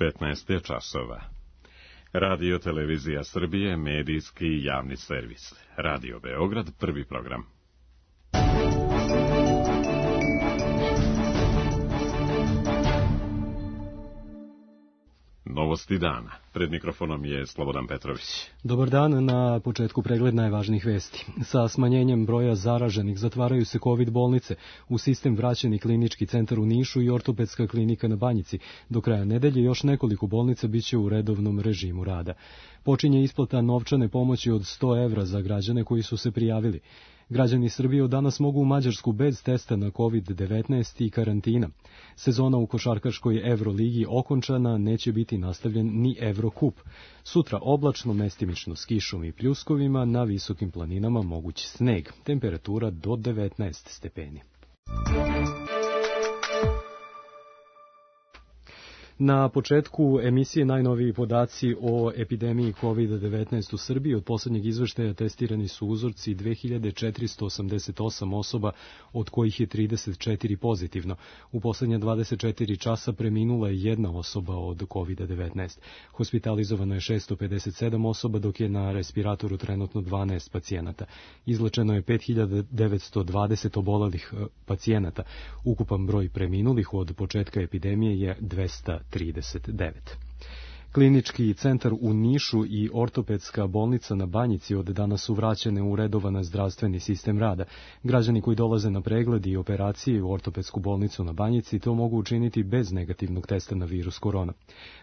15 je časova. Radio Televizija Srbije, medijski i javni servis. Radio Beograd, prvi program. Novosti dana. Pred mikrofonom je Slobodan Petrović. Dobar dan, na početku pregled najvažnijih vesti. Sa smanjenjem broja zaraženih zatvaraju se COVID bolnice, u sistem vraćeni klinički centar u Nišu i ortopedska klinika na Banjici. Do kraja nedelje još nekoliko bolnica biće u redovnom režimu rada. Počinje isplata novčane pomoći od 100 evra za građane koji su se prijavili. Građani Srbije od danas mogu u Mađarsku bez testa na COVID-19 i karantina. Sezona u košarkaškoj Evroligi okončana, neće biti nastavljen ni Evrokup. Sutra oblačno, mestimično s kišom i pljuskovima, na visokim planinama moguć sneg. Temperatura do 19 stepeni. Na početku emisije najnoviji podaci o epidemiji COVID-19 u Srbiji. Od posljednjeg izveštaja testirani su uzorci 2488 osoba, od kojih je 34 pozitivno. U posljednja 24 časa preminula je jedna osoba od COVID-19. Hospitalizovano je 657 osoba, dok je na respiratoru trenutno 12 pacijenata. Izlečeno je 5920 obolelih pacijenata. Ukupan broj preminulih od početka epidemije je 239. Klinički centar u Nišu i ortopedska bolnica na Banjici od danas su vraćene u redovan zdravstveni sistem rada. Građani koji dolaze na pregled i operacije u ortopedsku bolnicu na Banjici to mogu učiniti bez negativnog testa na virus korona.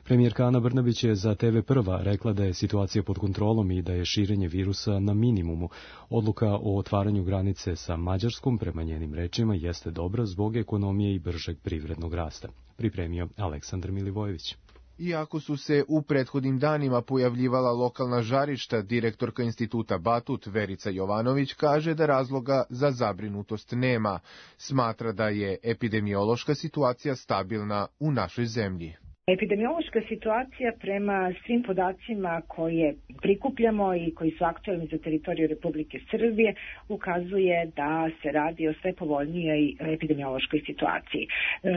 Premijerka Ana Brnabić je za TV Prva rekla da je situacija pod kontrolom i da je širenje virusa na minimumu. Odluka o otvaranju granice sa Mađarskom, prema njenim rečima, jeste dobra zbog ekonomije i bržeg privrednog rasta. Pripremio Aleksandar Milivojević. Iako su se u prethodnim danima pojavljivala lokalna žarišta, direktorka instituta Batut Verica Jovanović kaže da razloga za zabrinutost nema. Smatra da je epidemiološka situacija stabilna u našoj zemlji. Epidemiološka situacija prema svim podacima koje prikupljamo i koji su aktualni za teritoriju Republike Srbije ukazuje da se radi o sve povoljnijoj epidemiološkoj situaciji.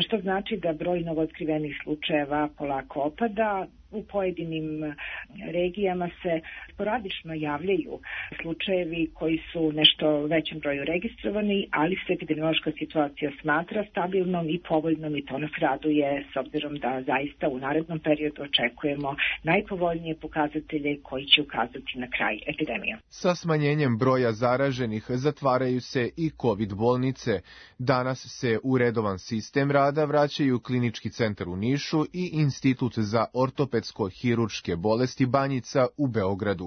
Što znači da broj novootkrivenih slučajeva polako opada. U pojedinim regijama se sporadično javljaju slučajevi koji su nešto većem broju registrovani, ali se epidemiološka situacija smatra stabilnom i povoljnom i to nas raduje s obzirom da zaista u narednom periodu očekujemo najpovoljnije pokazatelje koji će ukazati na kraj epidemije. Sa smanjenjem broja zaraženih zatvaraju se i COVID bolnice. Danas se u redovan sistem rada vraćaju klinički centar u Nišu i Institut za ortopedsko-hirurške bolesti Banjica u Beogradu.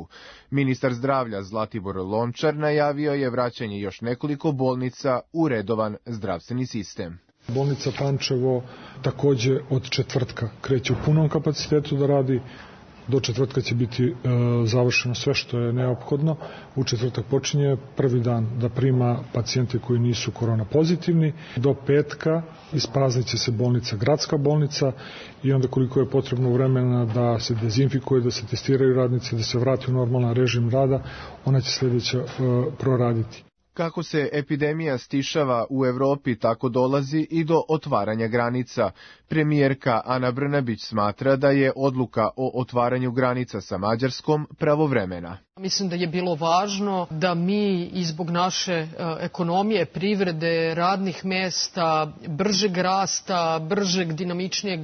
Ministar zdravlja Zlatibor Lončar najavio je vraćanje još nekoliko bolnica u redovan zdravstveni sistem. Bolnica Pančevo takođe od četvrtka kreće u punom kapacitetu da radi. Do četvrtka će biti završeno sve što je neophodno. U četvrtak počinje prvi dan da prima pacijente koji nisu korona pozitivni. Do petka ispraznit će se bolnica, gradska bolnica, i onda koliko je potrebno vremena da se dezinfikuje, da se testiraju radnice, da se vrati u normalan režim rada, ona će sljedeća proraditi. Kako se epidemija stišava u Evropi, tako dolazi i do otvaranja granica. Premijerka Ana Brnabić smatra da je odluka o otvaranju granica sa Mađarskom pravovremena. Mislim da je bilo važno da mi i zbog naše ekonomije, privrede, radnih mesta, bržeg rasta, bržeg, dinamičnijeg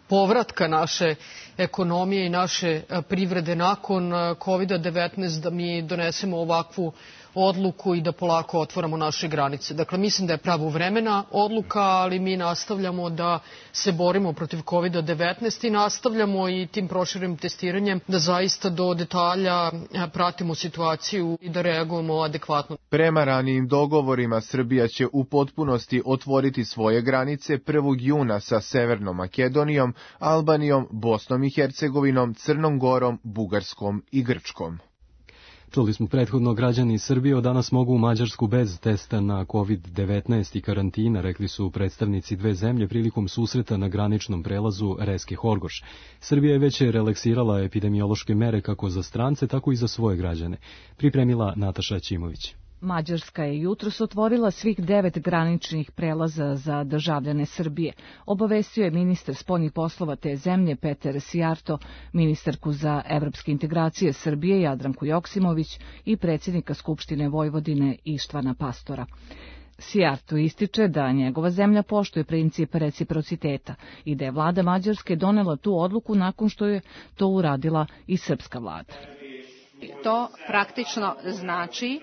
povratka naše ekonomije i naše privrede nakon COVID-19, da mi donesemo ovakvu odluku i da polako otvaramo naše granice. Dakle, mislim da je pravovremena odluka, ali mi nastavljamo da se borimo protiv COVID-19 i nastavljamo i tim proširenim testiranjem da zaista do detalja pratimo situaciju i da reagujemo adekvatno. Prema ranijim dogovorima, Srbija će u potpunosti otvoriti svoje granice 1. juna sa Severnom Makedonijom, Albanijom, Bosnom i Hercegovinom, Crnom Gorom, Bugarskom i Grčkom. Čuli smo prethodno, građani Srbije od danas mogu u Mađarsku bez testa na COVID-19 i karantina, rekli su predstavnici dve zemlje prilikom susreta na graničnom prelazu Reske-Horgoš. Srbija je već relaksirala epidemiološke mere kako za strance, tako i za svoje građane. Pripremila Nataša Ćimović. Mađarska je jutros otvorila svih 9 graničnih prelaza za državljane Srbije, obavestio je ministar spoljnih poslova te zemlje Peter Sijarto, ministarku za evropske integracije Srbije Jadranku Joksimović i predsjednika Skupštine Vojvodine Ištvana Pastora. Sijarto ističe da njegova zemlja poštuje princip reciprociteta i da je vlada Mađarske donela tu odluku nakon što je to uradila i srpska vlada. To praktično znači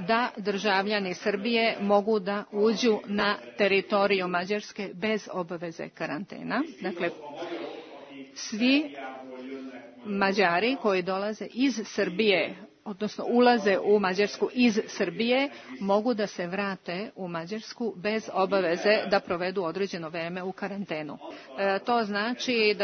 da državljani Srbije mogu da uđu na teritoriju Mađarske bez obaveze karantena. Dakle, svi Mađari koji dolaze iz Srbije, odnosno ulaze u Mađarsku iz Srbije, mogu da se vrate u Mađarsku bez obaveze da provedu određeno vreme u karantenu. To znači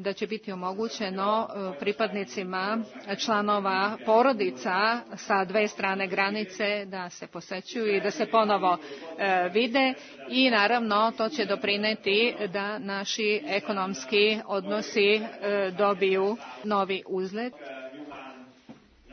da će biti omogućeno pripadnicima članova porodica sa dve strane granice da se posećuju i da se ponovo vide i naravno to će doprineti da naši ekonomski odnosi dobiju novi uzlet.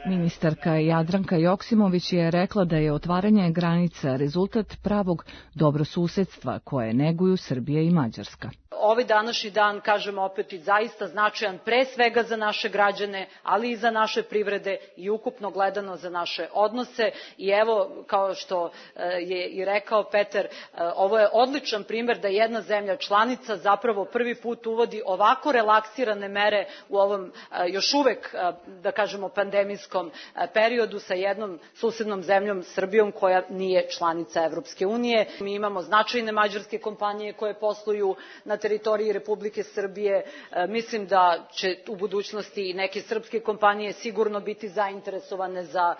Ministarka Jadranka Joksimović je rekla da je otvaranje granica rezultat pravog dobrosusedstva koje neguju Srbija i Mađarska. Ovaj današnji dan, kažemo opet, i zaista značajan pre svega za naše građane, ali i za naše privrede i ukupno gledano za naše odnose. I evo, kao što je i rekao Peter, ovo je odličan primer da jedna zemlja članica zapravo prvi put uvodi ovako relaksirane mere u ovom još uvek, da kažemo, pandemijskom periodu sa jednom susednom zemljom, Srbijom, koja nije članica Evropske unije. Mi imamo značajne mađarske kompanije koje posluju na teritoriji Republike Srbije. Mislim da će u budućnosti i neke srpske kompanije sigurno biti zainteresovane za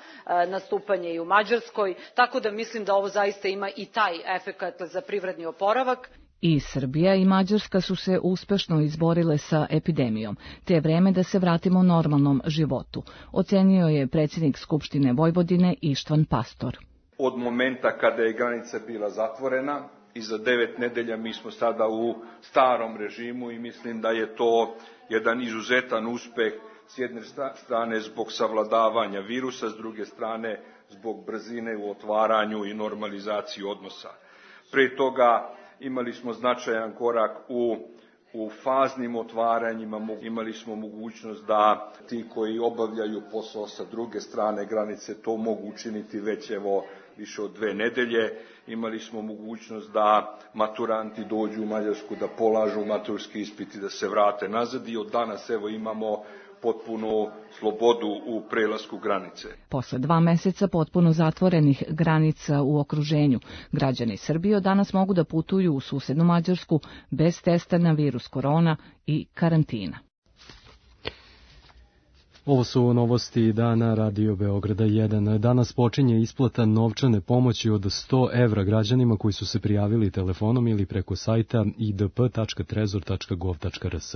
nastupanje i u Mađarskoj, tako da mislim da ovo zaista ima i taj efekat za privredni oporavak. I Srbija i Mađarska su se uspešno izborile sa epidemijom, te je vreme da se vratimo normalnom životu, ocenio je predsjednik Skupštine Vojvodine Ištvan Pastor. Od momenta kada je granica bila zatvorena, i za 9 nedelja mi smo sada u starom režimu i mislim da je to jedan izuzetan uspeh s jedne strane zbog savladavanja virusa, s druge strane zbog brzine u otvaranju i normalizaciji odnosa. Pre toga imali smo značajan korak u faznim otvaranjima, imali smo mogućnost da ti koji obavljaju posao sa druge strane granice to mogu učiniti već više od 2 nedelje. Imali smo mogućnost da maturanti dođu u Mađarsku, da polažu maturski ispit i da se vrate nazad i od danas imamo potpunu slobodu u prelasku granice. Posle 2 meseca potpuno zatvorenih granica u okruženju, građani Srbije od danas mogu da putuju u susednu Mađarsku bez testa na virus korona i karantina. Ovo su novosti dana Radio Beograda 1. Danas počinje isplata novčane pomoći od 100 evra građanima koji su se prijavili telefonom ili preko sajta idp.trezor.gov.rs.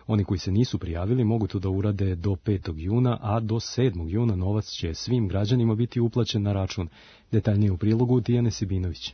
Oni koji se nisu prijavili mogu to da urade do 5. juna, a do 7. juna novac će svim građanima biti uplaćen na račun. Detaljnije u prilogu Tijane Sibinović.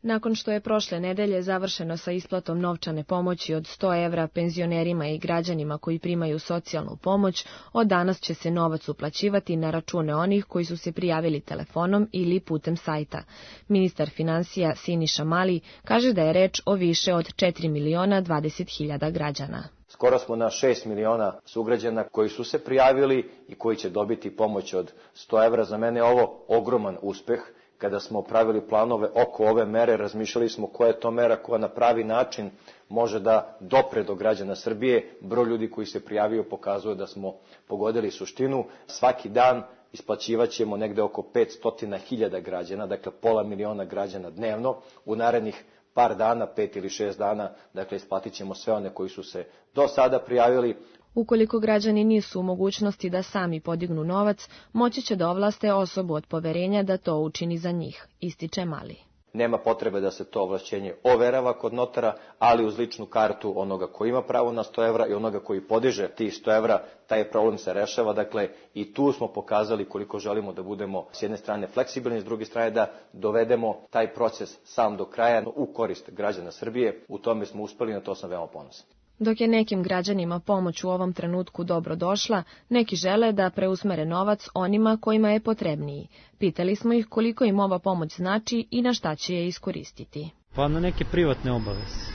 Nakon što je prošle nedelje završeno sa isplatom novčane pomoći od 100 evra penzionerima i građanima koji primaju socijalnu pomoć, od danas će se novac uplaćivati na račune onih koji su se prijavili telefonom ili putem sajta. Ministar finansija Siniša Mali kaže da je reč o više od 4.020.000 građana. Skoro smo na 6 miliona sugrađana koji su se prijavili i koji će dobiti pomoć od 100 evra. Za mene je ovo ogroman uspeh. Kada smo pravili planove oko ove mere, razmišljali smo koja je to mera koja na pravi način može da dopre do građana Srbije. Broj ljudi koji se prijavio pokazuje da smo pogodili suštinu. Svaki dan isplaćivaćemo negde oko 500.000 građana, dakle pola miliona građana dnevno. U narednih par dana, 5 ili 6 dana, dakle isplatit ćemo sve one koji su se do sada prijavili. Ukoliko građani nisu u mogućnosti da sami podignu novac, moći će da ovlaste osobu od poverenja da to učini za njih, ističe Mali. Nema potrebe da se to ovlašćenje overava kod notara, ali uz ličnu kartu onoga koji ima pravo na 100 evra i onoga koji podiže tih 100 evra, taj problem se rešava. Dakle, i tu smo pokazali koliko želimo da budemo s jedne strane fleksibilni, s druge strane da dovedemo taj proces sam do kraja u korist građana Srbije. U tome smo uspeli, na to sam veoma ponosan. Dok je nekim građanima pomoć u ovom trenutku dobro došla, neki žele da preusmere novac onima kojima je potrebniji. Pitali smo ih koliko im ova pomoć znači i na šta će je iskoristiti. Pa na neke privatne obaveze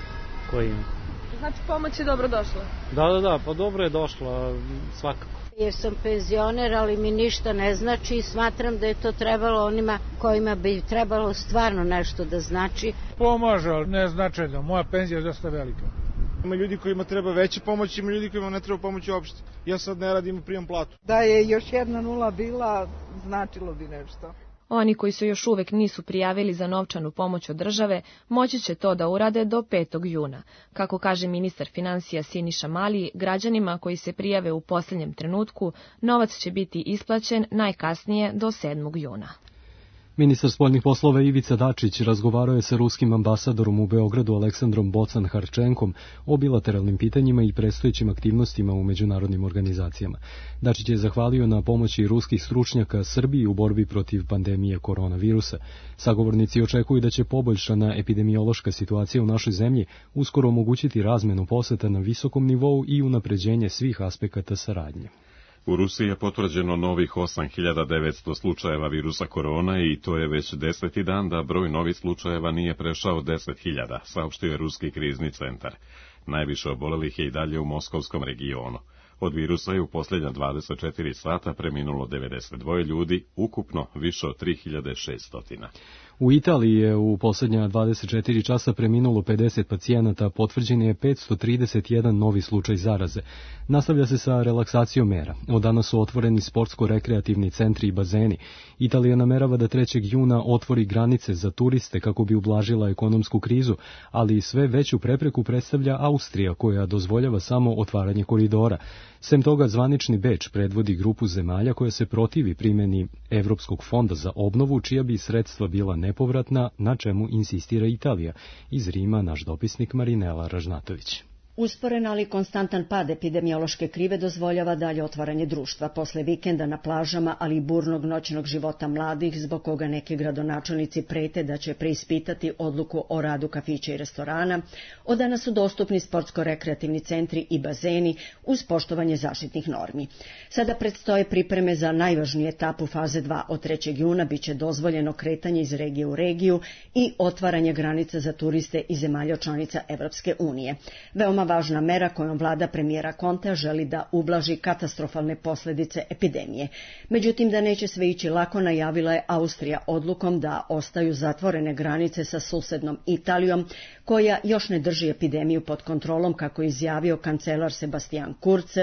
koje ima. Znači pomoć je dobro došla? Da, pa dobro je došla, svakako. Jer sam penzioner, ali mi ništa ne znači i smatram da je to trebalo onima kojima bi trebalo stvarno nešto da znači. Pomaže, ali ne značajno. Moja penzija je dosta velika. Ima ljudi kojima treba veća pomoć, ima ljudi kojima ne treba pomoć uopšte. Ja sad ne radim i primam platu. Da je još jedna nula bila, značilo bi nešto. Oni koji se još uvek nisu prijavili za novčanu pomoć od države, moći će to da urade do 5. juna. Kako kaže ministar finansija Siniša Mali, građanima koji se prijave u posljednjem trenutku, novac će biti isplaćen najkasnije do 7. juna. Ministar spoljnih poslova Ivica Dačić razgovarao je sa ruskim ambasadorom u Beogradu Aleksandrom Bocan-Harčenkom o bilateralnim pitanjima i predstojećim aktivnostima u međunarodnim organizacijama. Dačić je zahvalio na pomoći ruskih stručnjaka Srbiji u borbi protiv pandemije koronavirusa. Sagovornici očekuju da će poboljšana epidemiološka situacija u našoj zemlji uskoro omogućiti razmenu poseta na visokom nivou i unapređenje svih aspekata saradnje. U Rusiji je potvrđeno novih 8.900 slučajeva virusa korona i to je već 10. dan da broj novih slučajeva nije prešao 10.000, saopštio je Ruski krizni centar. Najviše obolelih je i dalje u moskovskom regionu. Od virusa je u posljednja 24 sata preminulo 92 ljudi, ukupno više od 3.600. U Italiji je u posljednja 24 časa preminulo 50 pacijenata, potvrđen je 531 novi slučaj zaraze. Nastavlja se sa relaksacijom mera. Od danas su otvoreni sportsko-rekreativni centri i bazeni. Italija namerava da 3. juna otvori granice za turiste kako bi ublažila ekonomsku krizu, ali i sve veću prepreku predstavlja Austrija, koja dozvoljava samo otvaranje koridora. Sem toga, zvanični Beč predvodi grupu zemalja koja se protivi primjeni Evropskog fonda za obnovu, čija bi sredstva bila nepovratna, na čemu insistira Italija. Iz Rima naš dopisnik Marinela Ražnatović. Usporen, ali konstantan pad epidemiološke krive dozvoljava dalje otvaranje društva. Posle vikenda na plažama, ali i burnog noćnog života mladih, zbog koga neki gradonačelnici prete da će preispitati odluku o radu kafića i restorana, od danas su dostupni sportsko-rekreativni centri i bazeni uz poštovanje zaštitnih normi. Sada predstoje pripreme za najvažniju etapu faze 2. Od 3. juna biće dozvoljeno kretanje iz regije u regiju i otvaranje granica za turiste iz zemalja članica Evropske unije. Veoma važna mera kojom vlada premijera Contea želi da ublaži katastrofalne posljedice epidemije. Međutim, da neće sve ići lako, najavila je Austrija odlukom da ostaju zatvorene granice sa susednom Italijom, koja još ne drži epidemiju pod kontrolom, kako je izjavio kancelar Sebastian Kurz,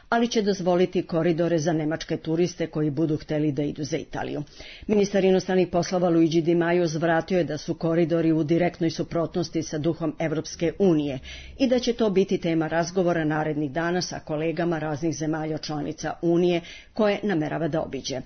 ali će dozvoliti koridore za nemačke turiste koji budu hteli da idu za Italiju. Ministar inostranih poslova Luigi Di Maio zvratio je da su koridori u direktnoj suprotnosti sa duhom Evropske unije i da će to biti tema razgovora narednih dana sa kolegama raznih zemalja članica Unije koje namerava da obiđe.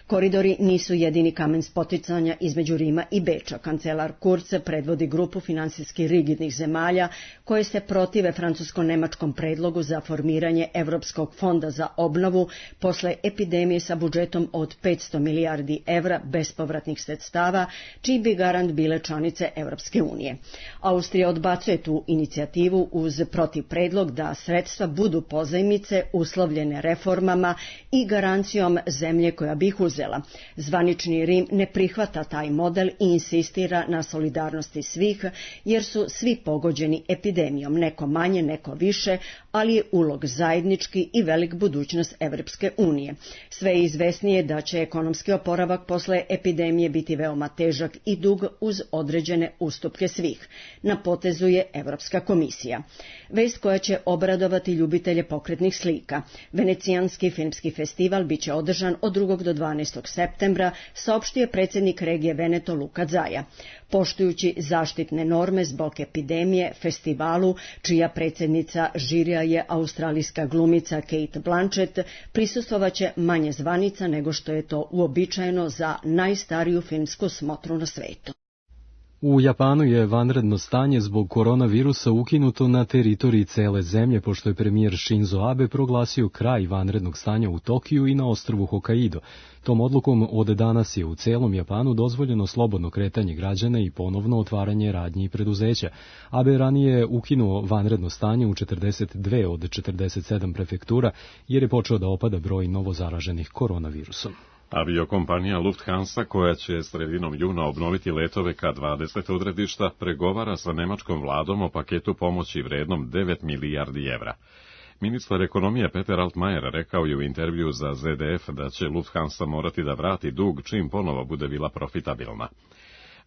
Koridori nisu jedini kamen spoticanja između Rima i Beča. Kancelar Kurz predvodi grupu finansijski rigidnih zemalja koje se protive francusko-nemačkom predlogu za formiranje Evropskog fonda za obnovu posle epidemije sa budžetom od 500 milijardi evra bespovratnih sredstava, čiji bi garant bile članice Evropske unije. Austrija odbacuje tu inicijativu uz protiv predlog da sredstva budu pozajmice uslovljene reformama i garancijom zemlje koja bi ih uzela. Zvanični Rim ne prihvata taj model i insistira na solidarnosti svih, jer su svi pogođeni epidemijom, neko manje, neko više, ali je ulog zajednički i velik budućnost Evropske unije. Sve je izvesnije da će ekonomski oporavak posle epidemije biti veoma težak i dug uz određene ustupke svih. Na potezu je Evropska komisija. Vest koja će obradovati ljubitelje pokretnih slika. Venecijanski filmski festival biće održan od 2. do 12. septembra, saopštio je predsjednik regije Veneto Luka Zaja. Poštujući zaštitne norme zbog epidemije, festivalu, čija predsjednica žirija je australijska glumica Kate Blanchett, prisustvovaće manje zvanica nego što je to uobičajeno za najstariju filmsku smotru na svetu. U Japanu je vanredno stanje zbog koronavirusa ukinuto na teritoriji cele zemlje, pošto je premijer Shinzo Abe proglasio kraj vanrednog stanja u Tokiju i na ostrvu Hokkaido. Tom odlukom od danas je u celom Japanu dozvoljeno slobodno kretanje građana i ponovno otvaranje radnji i preduzeća. Abe ranije ukinuo vanredno stanje u 42 od 47 prefektura, jer je počeo da opada broj novozaraženih koronavirusom. Aviokompanija Lufthansa, koja će sredinom juna obnoviti letove ka 20 odredišta, pregovara sa nemačkom vladom o paketu pomoći vrednom 9 milijardi evra. Ministar ekonomije Peter Altmaier rekao je u intervju za ZDF da će Lufthansa morati da vrati dug čim ponovo bude bila profitabilna.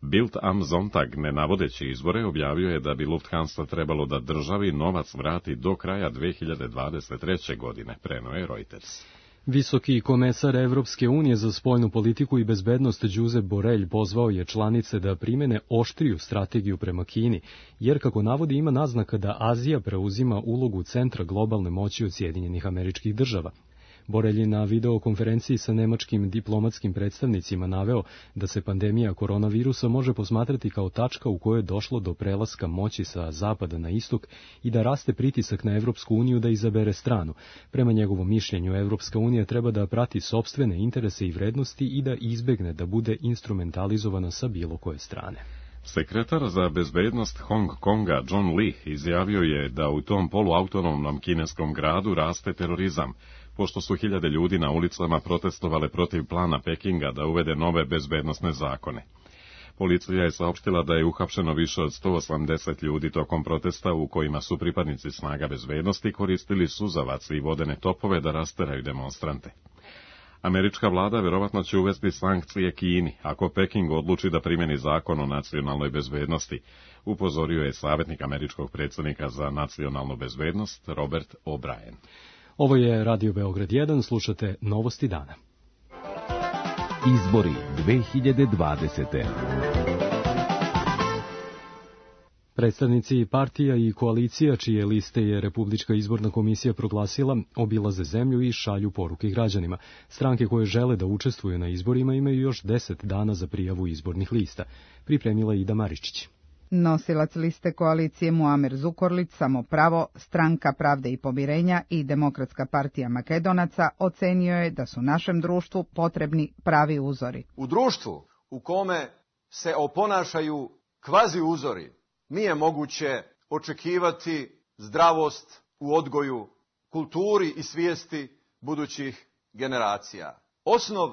Bild am Sonntag, ne navodeći izbore, objavio je da bi Lufthansa trebalo da državi novac vrati do kraja 2023. godine, preneo je Reuters. Visoki komesar Evropske unije za spoljnu politiku i bezbednost Josep Borrell pozvao je članice da primene oštriju strategiju prema Kini, jer, kako navodi, ima naznaka da Azija preuzima ulogu centra globalne moći od Sjedinjenih Američkih Država. Borrell je na videokonferenciji sa nemačkim diplomatskim predstavnicima naveo da se pandemija koronavirusa može posmatrati kao tačka u kojoj je došlo do prelaska moći sa zapada na istok i da raste pritisak na Evropsku uniju da izabere stranu. Prema njegovom mišljenju, Evropska unija treba da prati sopstvene interese i vrednosti i da izbegne da bude instrumentalizovana sa bilo koje strane. Sekretar za bezbednost Hong Konga John Lee izjavio je da u tom poluautonomnom kineskom gradu raste terorizam, pošto su hiljade ljudi na ulicama protestovale protiv plana Pekinga da uvede nove bezbednosne zakone. Policija je saopštila da je uhapšeno više od 180 ljudi tokom protesta u kojima su pripadnici snaga bezbednosti koristili suzavac i vodene topove da rasteraju demonstrante. Američka vlada verovatno će uvesti sankcije Kini ako Peking odluči da primjeni zakon o nacionalnoj bezbednosti, upozorio je savjetnik američkog predsjednika za nacionalnu bezbednost Robert O'Brien. Ovo je Radio Beograd 1, slušate Novosti dana. Izbori 2020. Predstavnici partija i koalicija, čije liste je Republička izborna komisija proglasila, obilaze zemlju i šalju poruke građanima. Stranke koje žele da učestvuju na izborima imaju još 10 dana za prijavu izbornih lista. Pripremila Ida Maričić. Nosilac liste koalicije Muamer Zukorlić, Samopravo, Stranka pravde i pomirenja i Demokratska partija Makedonaca ocenio je da su našem društvu potrebni pravi uzori. U društvu u kome se oponašaju kvazi uzori, nije moguće očekivati zdravost u odgoju, kulturi i svijesti budućih generacija. Osnov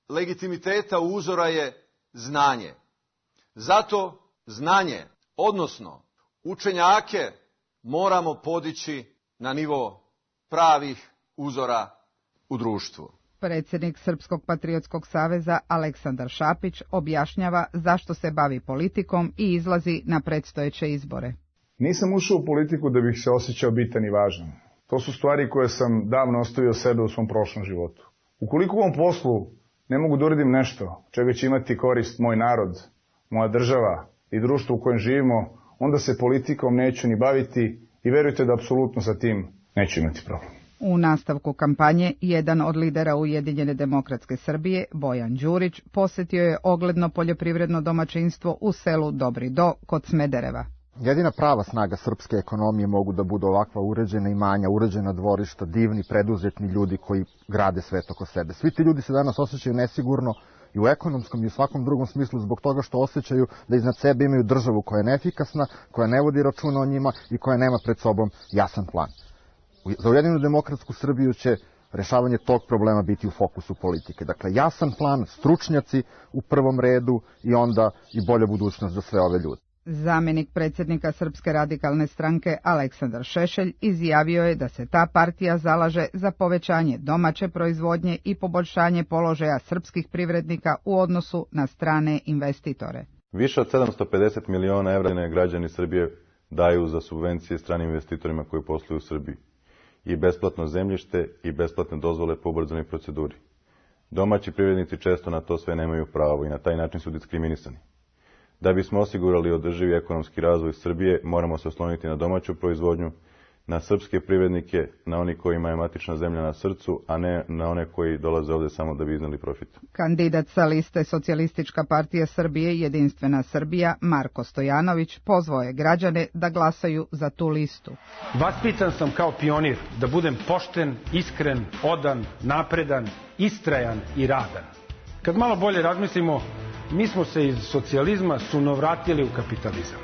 legitimiteta uzora je znanje. Zato znanje, odnosno učenjake, moramo podići na nivo pravih uzora u društvu. Predsjednik Srpskog patriotskog saveza Aleksandar Šapić objašnjava zašto se bavi politikom i izlazi na predstojeće izbore. Nisam ušao u politiku da bih se osjećao bitan i važan. To su stvari koje sam davno ostavio sebe u svom prošlom životu. Ukoliko u ovom poslu ne mogu da uradim nešto čega će imati korist moj narod, moja država i društvo u kojem živimo, onda se politikom neću ni baviti i verujte da apsolutno sa tim neću imati problem. U nastavku kampanje, jedan od lidera Ujedinjene demokratske Srbije, Bojan Đurić, posjetio je ogledno poljoprivredno domaćinstvo u selu Dobri Do kod Smedereva. Jedina prava snaga srpske ekonomije mogu da budu ovakva uređena imanja, uređena dvorišta, divni, preduzetni ljudi koji grade svet oko sebe. Svi ti ljudi se danas osjećaju nesigurno i u ekonomskom i u svakom drugom smislu zbog toga što osjećaju da iznad sebe imaju državu koja je neefikasna, koja ne vodi računa o njima i koja nema pred sobom jasan plan. Za Ujedinjenu demokratsku Srbiju će rešavanje tog problema biti u fokusu politike. Dakle, jasan plan, stručnjaci u prvom redu i onda i bolja budućnost za sve ove ljude. Zamjenik predsjednika Srpske radikalne stranke Aleksandar Šešelj izjavio je da se ta partija zalaže za povećanje domaće proizvodnje i poboljšanje položaja srpskih privrednika u odnosu na strane investitore. Više od 750 miliona evra građani Srbije daju za subvencije stranim investitorima koji posluju u Srbiji. I besplatno zemljište i besplatne dozvole po ubrzanoj proceduri. Domaći privrednici često na to sve nemaju pravo i na taj način su diskriminisani. Da bismo osigurali održivi ekonomski razvoj Srbije, moramo se osloniti na domaću proizvodnju, na srpske privrednike, na oni kojima je matična zemlja na srcu, a ne na one koji dolaze ovde samo da bi izneli profit. Kandidat sa liste Socijalistička partija Srbije Jedinstvena Srbija Marko Stojanović pozvao je građane da glasaju za tu listu. Vaspitan sam kao pionir da budem pošten, iskren, odan, napredan, istrajan i radan. Kad malo bolje razmislimo, mi smo se iz socijalizma sunovratili u kapitalizam.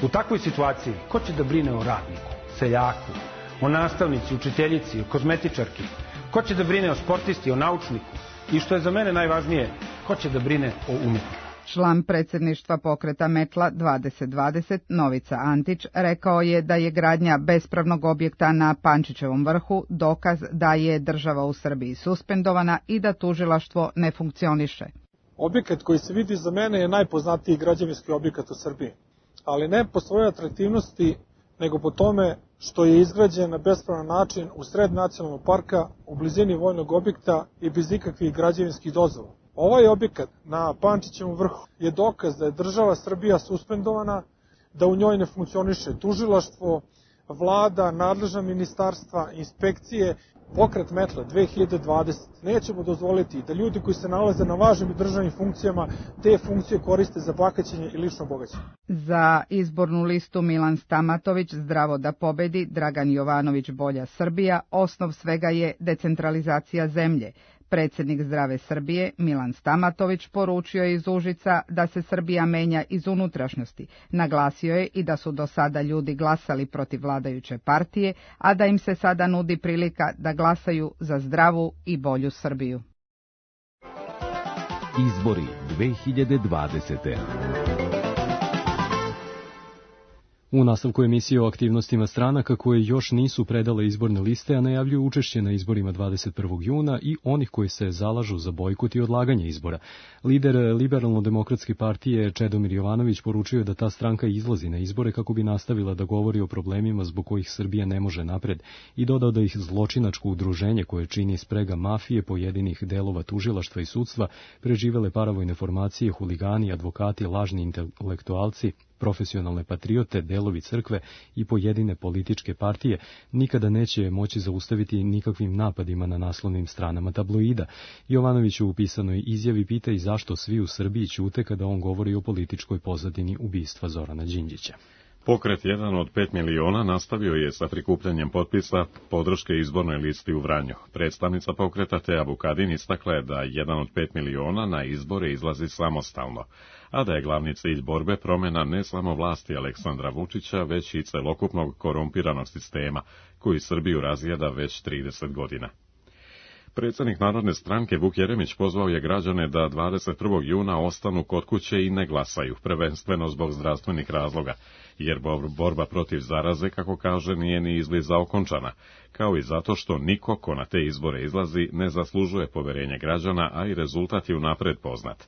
U takvoj situaciji, ko će da brine o radniku, seljaku, o nastavnici, učiteljici, o kozmetičarki? Ko će da brine o sportisti, o naučniku? I što je za mene najvažnije, ko će da brine o umetniku? Član predsjedništva pokreta Metla 2020 Novica Antić rekao je da je gradnja bespravnog objekta na Pančićevom vrhu dokaz da je država u Srbiji suspendovana i da tužilaštvo ne funkcioniše. Objekat koji se vidi za mene je najpoznatiji građevinski objekat u Srbiji, ali ne po svojoj atraktivnosti, nego po tome što je izgrađen na bespravan način u sred nacionalnog parka, u blizini vojnog objekta i bez ikakvih građevinskih dozvola. Ovaj objekat na Pančićevom vrhu je dokaz da je država Srbija suspendovana, da u njoj ne funkcioniše tužilaštvo, vlada, nadležna ministarstva, inspekcije. Pokret Metla 2020 nećemo dozvoliti da ljudi koji se nalaze na važnim državnim funkcijama te funkcije koriste za bahaćenje i lično bogaćenje. Za izbornu listu Milan Stamatović Zdravo da pobedi, Dragan Jovanović Bolja Srbija, osnov svega je decentralizacija zemlje. Predsjednik Zdrave Srbije Milan Stamatović poručio je iz Užica da se Srbija menja iz unutrašnjosti. Naglasio je i da su do sada ljudi glasali protiv vladajuće partije, a da im se sada nudi prilika da glasaju za zdravu i bolju Srbiju. Izbori 2020. U nastavku emisije o aktivnostima stranaka koje još nisu predale izborne liste, a najavljuju učešće na izborima 21. juna i onih koji se zalažu za bojkot i odlaganje izbora. Lider Liberalno-demokratske partije Čedomir Jovanović poručio je da ta stranka izlazi na izbore kako bi nastavila da govori o problemima zbog kojih Srbija ne može napred i dodao da ih zločinačko udruženje koje čini sprega mafije, pojedinih delova tužilaštva i sudstva, preživele paravojne formacije, huligani, advokati, lažni intelektualci, profesionalne patriote, delovi crkve i pojedine političke partije nikada neće moći zaustaviti nikakvim napadima na naslovnim stranama tabloida. Jovanović u pisanoj izjavi pita i zašto svi u Srbiji ćute kada on govori o političkoj pozadini ubistva Zorana Đinđića. Pokret 1 od 5 miliona nastavio je sa prikupljanjem potpisa podrške izbornoj listi u Vranju. Predstavnica pokreta Teja Vukadin istakla je da 1 od 5 miliona na izbore izlazi samostalno, a da je glavni cilj borbe promjena ne samo vlasti Aleksandra Vučića, već i celokupnog korumpiranog sistema, koji Srbiju razjeda već 30 godina. Predsjednik Narodne stranke Vuk Jeremić pozvao je građane da 21. juna ostanu kod kuće i ne glasaju, prvenstveno zbog zdravstvenih razloga, jer borba protiv zaraze, kako kaže, nije ni izbliza okončana, kao i zato što niko ko na te izbore izlazi ne zaslužuje poverenje građana, a i rezultat je unapred poznat.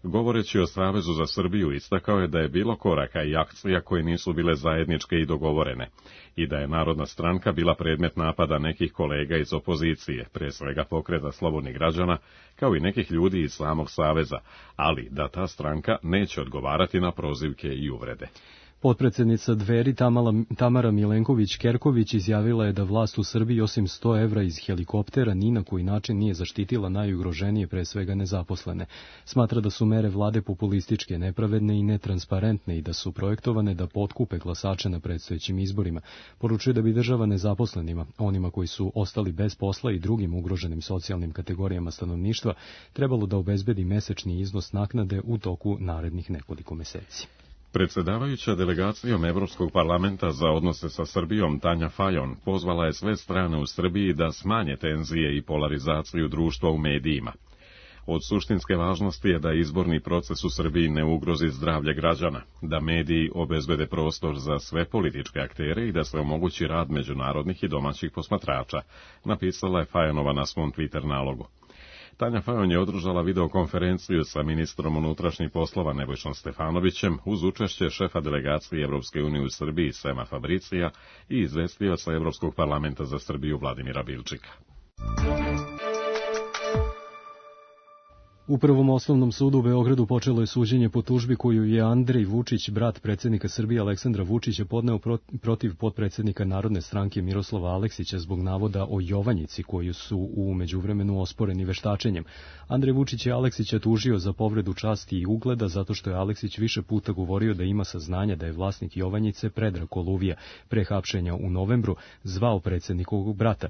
Govoreći o Savezu za Srbiju, istakao je da je bilo koraka i akcija koje nisu bile zajedničke i dogovorene i da je Narodna stranka bila predmet napada nekih kolega iz opozicije, pre svega Pokreta slobodnih građana, kao i nekih ljudi iz samog Saveza, ali da ta stranka neće odgovarati na prozivke i uvrede. Potpredsjednica Dveri Tamara Milenković-Kerković izjavila je da vlast u Srbiji osim 100 evra iz helikoptera ni na koji način nije zaštitila najugroženije, pre svega nezaposlene. Smatra da su mere vlade populističke, nepravedne i netransparentne i da su projektovane da potkupe glasače na predstojećim izborima. Poručuje da bi država nezaposlenima, onima koji su ostali bez posla i drugim ugroženim socijalnim kategorijama stanovništva, trebalo da obezbedi mesečni iznos naknade u toku narednih nekoliko meseci. Predsjedavajuća delegacijom Evropskog parlamenta za odnose sa Srbijom Tanja Fajon pozvala je sve strane u Srbiji da smanje tenzije i polarizaciju društva u medijima. Od suštinske važnosti je da izborni proces u Srbiji ne ugrozi zdravlje građana, da mediji obezbede prostor za sve političke aktere i da se omogući rad međunarodnih i domaćih posmatrača, napisala je Fajonova na svom Twitter nalogu. Tanja Fajon je održala videokonferenciju sa ministrom unutrašnjih poslova Nebojšom Stefanovićem uz učešće šefa delegacije Evropske unije u Srbiji Sema Fabricija i izvestioca Evropskog parlamenta za Srbiju Vladimira Bilčika. U Prvom osnovnom sudu u Beogradu počelo je suđenje po tužbi koju je Andrej Vučić, brat predsjednika Srbije Aleksandra Vučića, podneo protiv potpredsjednika Narodne stranke Miroslava Aleksića zbog navoda o Jovanjici koju su u međuvremenu osporeni veštačenjem. Andrej Vučić je Aleksića tužio za povredu časti i ugleda zato što je Aleksić više puta govorio da ima saznanja da je vlasnik Jovanjice Predrag Koluvija pre hapšenja u novembru zvao predsjednikovog brata.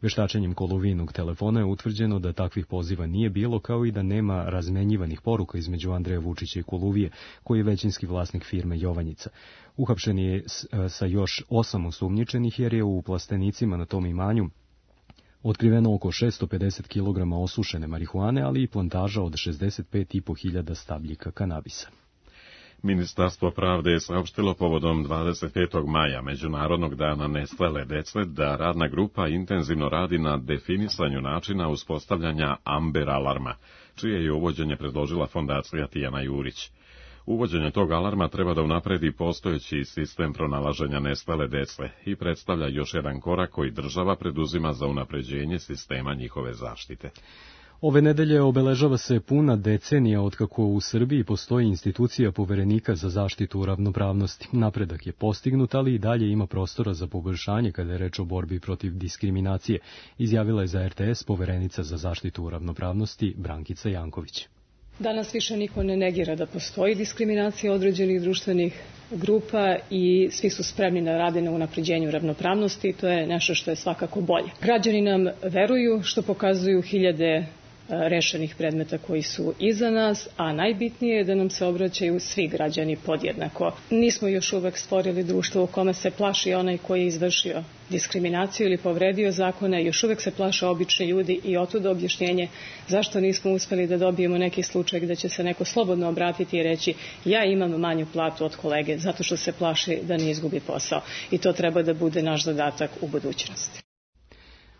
Veštačenjem Koluvijinog telefona je utvrđeno da takvih poziva nije bilo, kao i da nema razmenjivanih poruka između Andreja Vučića i Koluvije, koji je većinski vlasnik firme Jovanjica. Uhapšen je sa još 8 osumnjičenih jer je u plastenicima na tom imanju otkriveno oko 650 kg osušene marihuane, ali i plantaža od 65.500 stabljika kanabisa. Ministarstvo pravde je saopštilo povodom 25. maja, Međunarodnog dana nestale dece, da radna grupa intenzivno radi na definisanju načina uspostavljanja Amber alarma, čije je uvođenje predložila fondacija Tijana Jurić. Uvođenje tog alarma treba da unapredi postojeći sistem pronalaženja nestale dece i predstavlja još jedan korak koji država preduzima za unapređenje sistema njihove zaštite. Ove nedelje obeležava se puna decenija otkako u Srbiji postoji institucija Poverenika za zaštitu ravnopravnosti. Napredak je postignut, ali i dalje ima prostora za poboljšanje kada je reč o borbi protiv diskriminacije, izjavila je za RTS Poverenica za zaštitu ravnopravnosti Brankica Janković. Danas više niko ne negira da postoji diskriminacija određenih društvenih grupa i svi su spremni da rade na unapređenju ravnopravnosti i to je nešto što je svakako bolje. Građani nam veruju, što pokazuju hiljade rešenih predmeta koji su iza nas, a najbitnije je da nam se obraćaju svi građani podjednako. Nismo još uvek stvorili društvo u kome se plaši onaj koji je izvršio diskriminaciju ili povredio zakone, još uvek se plaše obični ljudi i otuda objašnjenje zašto nismo uspeli da dobijemo neki slučaj gde će se neko slobodno obratiti i reći ja imam manju platu od kolege zato što se plaši da ne izgubi posao. I to treba da bude naš zadatak u budućnosti.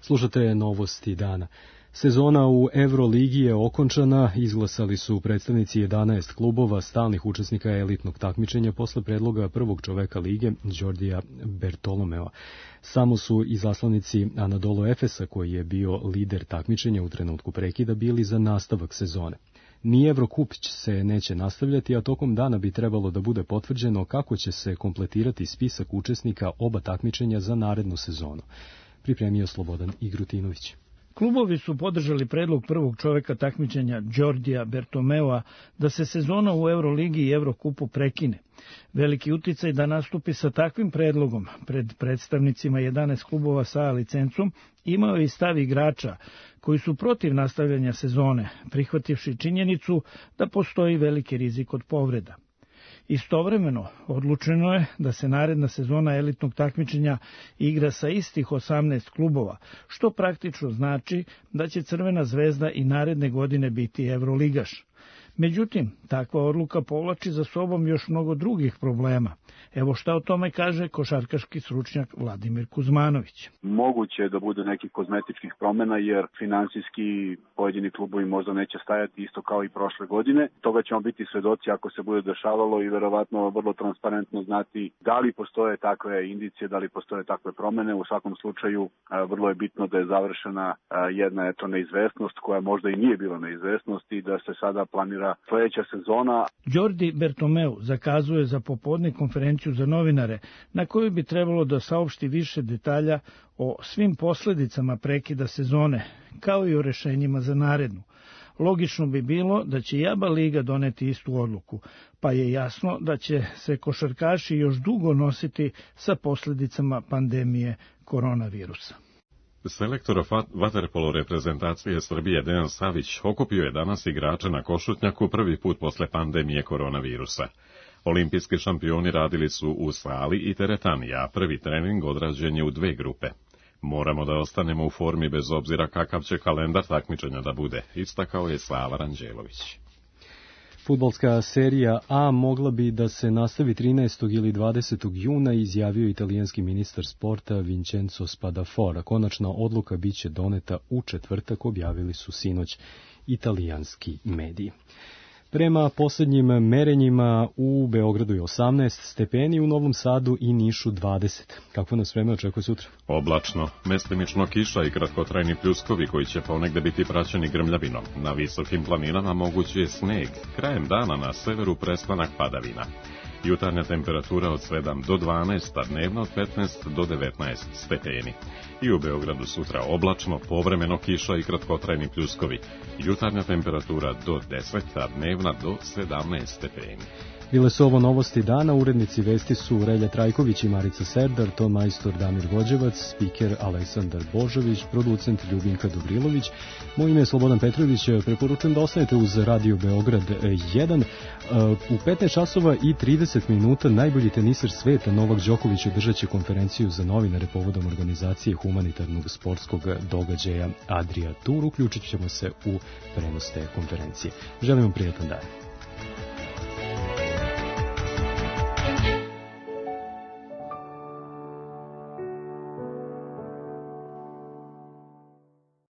Slušate novosti dana. Sezona u Euroligi je okončana, izglasali su predstavnici 11 klubova stalnih učesnika elitnog takmičenja posle predloga prvog čoveka lige, Đordija Bertolomea. Samo su izaslanici Anadolu Efesa, koji je bio lider takmičenja u trenutku prekida, bili za nastavak sezone. Ni Evrokup se neće nastavljati, a tokom dana bi trebalo da bude potvrđeno kako će se kompletirati spisak učesnika oba takmičenja za narednu sezonu. Pripremio Slobodan Igrutinović. Klubovi su podržali predlog prvog čoveka takmičenja Đordija Bertomeua da se sezona u Euroligi i Evrokupu prekine. Veliki uticaj da nastupi sa takvim predlogom pred predstavnicima 11 klubova sa licencom imao je i stav igrača koji su protiv nastavljanja sezone, prihvativši činjenicu da postoji veliki rizik od povreda. Istovremeno, odlučeno je da se naredna sezona elitnog takmičenja igra sa istih 18 klubova, što praktično znači da će Crvena zvezda i naredne godine biti Evroligaš. Međutim, takva odluka povlači za sobom još mnogo drugih problema. Evo šta o tome kaže košarkaški stručnjak Vladimir Kuzmanović. Moguće je da bude nekih kozmetičkih promjena jer finansijski pojedini klubovi možda neće stajati isto kao i prošle godine. Toga ćemo biti svedoci ako se bude dešavalo i verovatno vrlo transparentno znati da li postoje takve indicije, da li postoje takve promjene. U svakom slučaju vrlo je bitno da je završena jedna neizvesnost koja možda i nije bila neizvesnost i da se sada planira sledeća sezona. Đordi Bertomeu zakazuje za popodne konferenciju za novinare na kojoj bi trebalo da saopšti više detalja o svim posledicama prekida sezone, kao i o rešenjima za narednu. Logično bi bilo da će i ABA liga doneti istu odluku, pa je jasno da će se košarkaši još dugo nositi sa posledicama pandemije koronavirusa. Selektor vaterpolo reprezentacije Srbije Dejan Savić okupio je danas igrače na Košutnjaku prvi put posle pandemije koronavirusa. Olimpijski šampioni radili su u sali i teretani, a prvi trening odrađen je u dve grupe. Moramo da ostanemo u formi bez obzira kakav će kalendar takmičenja da bude, istakao je Sava Ranđelović. Fudbalska serija A mogla bi da se nastavi 13. ili 20. juna, izjavio italijanski ministar sporta Vincenzo Spadafora. Konačna odluka biće doneta u četvrtak, objavili su sinoć italijanski mediji. Prema posljednjim merenjima u Beogradu je 18 stepeni, u Novom Sadu i Nišu 20. Kako nas vreme očekuje sutra? Oblačno, mestimično kiša i kratkotrajni pljuskovi koji će ponegde biti praćeni grmljavinom. Na visokim planinama mogući je sneg. Krajem dana na severu prestanak padavina. Jutarnja temperatura od 7 do 12, a dnevna od 15 do 19 stepeni. I u Beogradu sutra oblačno, povremeno kiša i kratkotrajni pljuskovi. Jutarnja temperatura do 10, a dnevna do 17 stepeni. Bile su ovo novosti dana, urednici vesti su Relja Trajković i Marica Serdar, ton majstor Damir Gođevac, spiker Aleksandar Božović, producent Ljubinka Dobrilović. Moje ime je Slobodan Petrović, preporučujem da ostanete uz Radio Beograd 1. U 15 časova i 30 minuta najbolji teniser sveta Novak Đoković održat će konferenciju za novinare povodom organizacije humanitarnog sportskog događaja Adria Tour. Uključit ćemo se u prenos te konferencije. Želim vam prijatan dan.